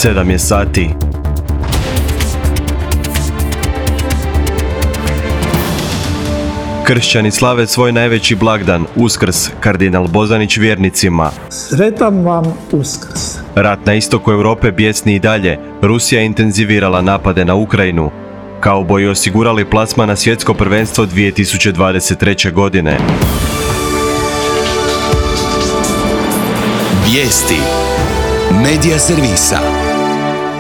7 je sati. Kršćani slave svoj najveći blagdan, Uskrs, kardinal Bozanić vjernicima. Sretan vam Uskrs. Rat na istoku Europe bijesni i dalje. Rusija je intenzivirala napade na Ukrajinu. Kauboji osigurali plasman na svjetsko prvenstvo 2023. godine. Vijesti. Medija servisa.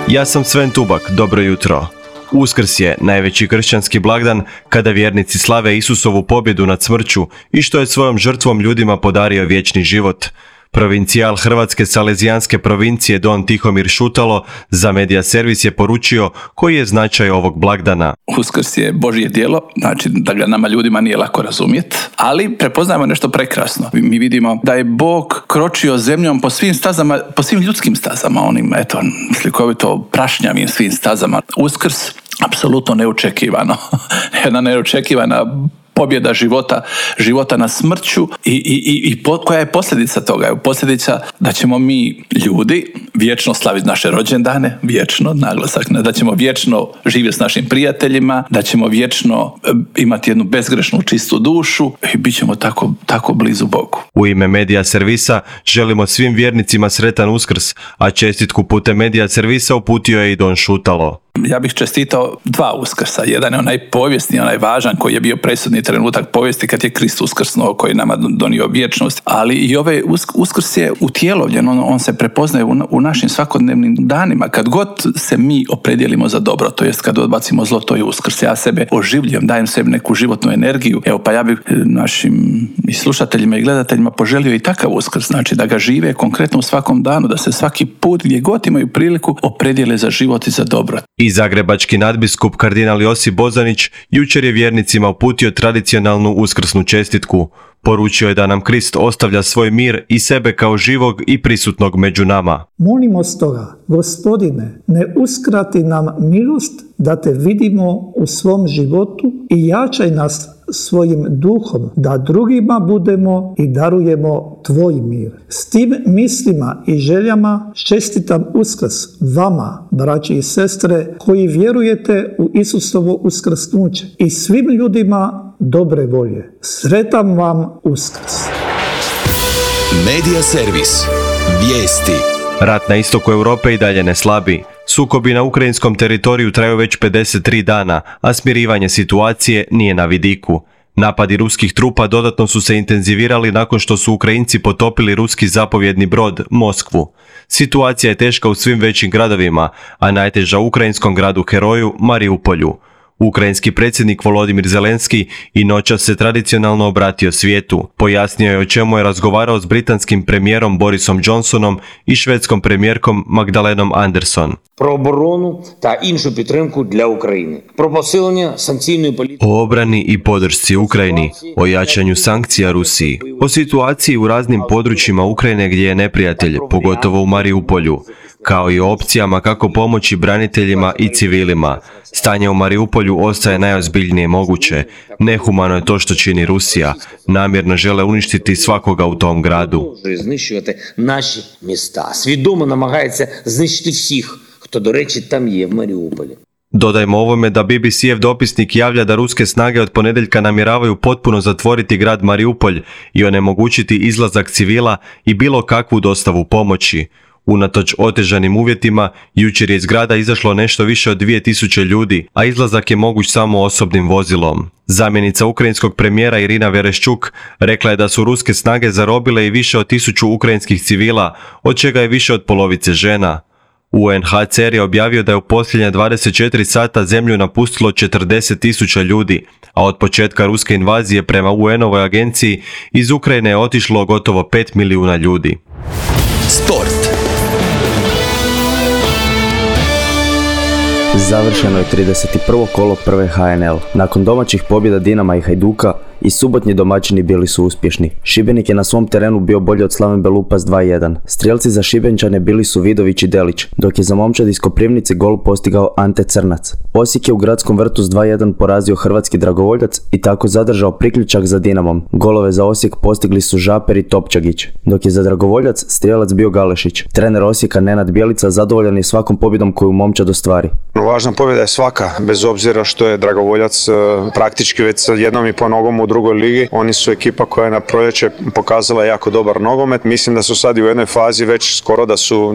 Ja sam Sven Tubak, dobro jutro. Uskrs je najveći kršćanski blagdan kada vjernici slave Isusovu pobjedu nad smrću i što je svojom žrtvom ljudima podario vječni život. Provincijal Hrvatske Salezijanske provincije Don Tihomir Šutalo za Medija servis je poručio koji je značaj ovog blagdana. Uskrs je Božje djelo, znači da ga nama ljudima nije lako razumjeti, ali prepoznajemo nešto prekrasno. Mi vidimo da je Bog kročio zemljom po svim stazama, po svim ljudskim stazama, onim, slikovito prašnjavim svim stazama. Uskrs, apsolutno neočekivano, jedna neočekivana pobjeda života na smrću i koja je posljedica toga? Posljedica da ćemo mi ljudi vječno slaviti naše rođendane, vječno, naglasak, da ćemo vječno živjeti s našim prijateljima, da ćemo vječno imati jednu bezgrešnu čistu dušu i bit ćemo tako blizu Bogu. U ime Medija servisa želimo svim vjernicima sretan Uskrs, a čestitku putem Medija servisa uputio je i Don Šutalo. Ja bih čestitao 2 Uskrsa. Jedan je onaj povijesni, onaj važan koji je bio presudni trenutak povijesti kad je Krist uskrsnuo, koji je nama donio vječnost. Ali i ovaj Uskrs je utjelovljen, on se prepoznaje u našim svakodnevnim danima. Kad god se mi opredijelimo za dobro, to jest kad odbacimo zlo, to je Uskrs. Ja sebe oživljujem, dajem sebi neku životnu energiju. Evo pa ja bih našim i slušateljima i gledateljima poželio i takav Uskrs. Znači da ga žive konkretno u svakom danu, da se svaki put gdje god imaju priliku opredijele za život i za dobro. I zagrebački nadbiskup kardinal Josip Bozanić jučer je vjernicima uputio tradicionalnu uskrsnu čestitku. Poručio je da nam Krist ostavlja svoj mir i sebe kao živog i prisutnog među nama. Molimo stoga, Gospodine, ne uskrati nam milost da te vidimo u svom životu i jačaj nas svojim duhom, da drugima budemo i darujemo tvoj mir. S tim mislima i željama čestitam Uskrs vama, braći i sestre, koji vjerujete u Isusovo uskrsnuće i svim ljudima dobre volje. Sretan vam Uskrs. Medija servis. Vijesti. Rat na istoku Europe i dalje ne slabi. Sukobi na ukrajinskom teritoriju traju već 53 dana, a smirivanje situacije nije na vidiku. Napadi ruskih trupa dodatno su se intenzivirali nakon što su Ukrajinci potopili ruski zapovjedni brod Moskvu. Situacija je teška u svim većim gradovima, a najteža u ukrajinskom gradu heroju Mariupolju. Ukrajinski predsjednik Volodimir Zelenski i noćas se tradicionalno obratio svijetu. Pojasnio je o čemu je razgovarao s britanskim premijerom Borisom Johnsonom i švedskom premijerkom Magdalenom Andersson. Про оборону та іншу підтримку для України. Про посилення санкційної політики. O obrani i podršci Ukrajini, o jačanju sankcija Rusiji, o situaciji u raznim područjima Ukrajine gdje je neprijatelj, pogotovo u Mariupolju, kao i o opcijama kako pomoći braniteljima i civilima. Stanje u Mariupolju ostaje najozbiljnije moguće. Nehumano je to što čini Rusija. Namjerno žele uništiti svakoga u tom gradu. Знищувати наші міста. Свідомо намагається знищити всіх, хто, до речі, там є в Маріуполі. Dodajmo ovome da BBC-ev dopisnik javlja da ruske snage od ponedjeljka namjeravaju potpuno zatvoriti grad Mariupolj i onemogućiti izlazak civila i bilo kakvu dostavu pomoći. Unatoč otežanim uvjetima, jučer je iz grada izašlo nešto više od 2000 ljudi, a izlazak je moguć samo osobnim vozilom. Zamjenica ukrajinskog premijera Irina Vereščuk rekla je da su ruske snage zarobile i više od 1000 ukrajinskih civila, od čega je više od polovice žena. UNHCR je objavio da je u posljednja 24 sata zemlju napustilo 40.000 ljudi, a od početka ruske invazije prema UN-ovoj agenciji iz Ukrajine je otišlo gotovo 5 milijuna ljudi. Sport. Završeno je 31. kolo prve HNL. Nakon domaćih pobjeda Dinama i Hajduka i subotnji domaćini bili su uspješni. Šibenik je na svom terenu bio bolji od Slaven Belupas 2:1. Strijelci za Šibenčane bili su Vidović i Delić, dok je za momčad iz Koprivnice gol postigao Ante Crnac. Osijek je u Gradskom vrtu s 2:1 porazio hrvatski Dragovoljac i tako zadržao priključak za Dinamom. Golove za Osijek postigli su Žaper i Topčagić, dok je za Dragovoljac strijelac bio Galešić. Trener Osijeka Nenad Bjelica zadovoljan je svakom pobjedom koju momčad ostvari. Važna pobjeda je svaka, bez obzira što je Dragovoljac praktički već sa 1,5 nogom u drugoj ligi. Oni su ekipa koja je na proljeće pokazala jako dobar nogomet. Mislim da su sad i u jednoj fazi već skoro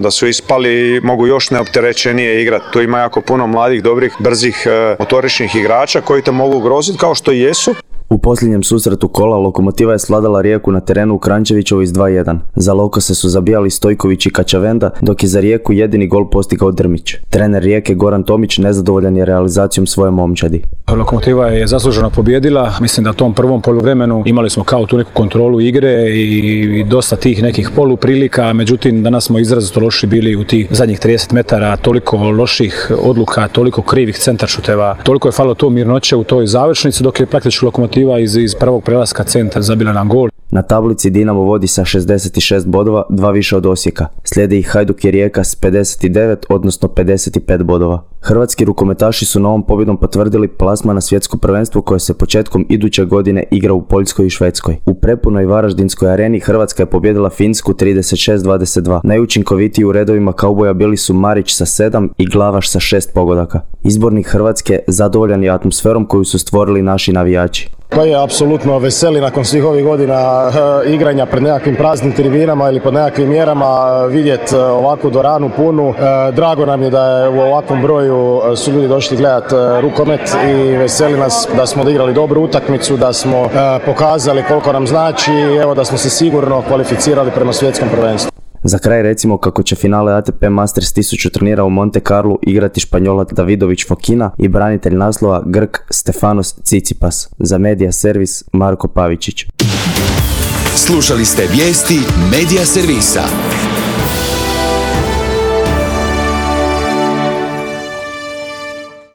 da su ispali i mogu još neopterećenije igrati. Tu ima jako puno mladih, dobrih, brzih, motoričnih igrača koji te mogu ugroziti kao što i jesu. U posljednjem susretu kola Lokomotiva je svladala Rijeku na terenu u Kranjčevićevoj s 2:1. Za Lokose su zabijali Stojković i Kačavenda, dok je za Rijeku jedini gol postigao Drmić. Trener Rijeke Goran Tomić nezadovoljan je realizacijom svoje momčadi. Lokomotiva je zasluženo pobijedila. Mislim da u tom prvom poluvremenu imali smo kao tu neku kontrolu igre i dosta tih nekih poluprilika, međutim danas smo izrazito loši bili u tih zadnjih 30 metara, toliko loših odluka, toliko krivih centaršuteva, toliko je falilo to mirnoće u toj završnici, dok je praktički Lokomotiva iz prvog prelaska centra zabila nam gol. Na tablici Dinamo vodi sa 66 bodova, 2 više od Osijeka. Slijede ih Hajduk i Rijeka s 59, odnosno 55 bodova. Hrvatski rukometaši su novom pobjedom potvrdili plasman na svjetsko prvenstvo koje se početkom iduće godine igra u Poljskoj i Švedskoj. U prepunoj Varaždinskoj areni Hrvatska je pobijedila Finsku 36-22. Najučinkovitiji u redovima kauboja bili su Marić sa 7 i Glavaš sa 6 pogodaka. Izbornik Hrvatske zadovoljan je atmosferom koju su stvorili naši navijači. Pa je apsolutno veseli nakon svih ovih godina igranja pred nekakvim praznim tribinama ili pod nekakvim mjerama vidjeti ovakvu dvoranu punu. Drago nam je da je u ovakvom broju su ljudi došli gledati rukomet i veseli nas da smo odigrali dobru utakmicu, da smo pokazali koliko nam znači i evo da smo se sigurno kvalificirali prema svjetskom prvenstvu. Za kraj recimo kako će finale ATP Masters 1000 turnira u Monte Carlu igrati Španjolac Davidović Fokina i branitelj naslova Grk Stefanos Tsitsipas. Za Media Servis Marko Pavičić. Slušali ste vijesti Media Servisa.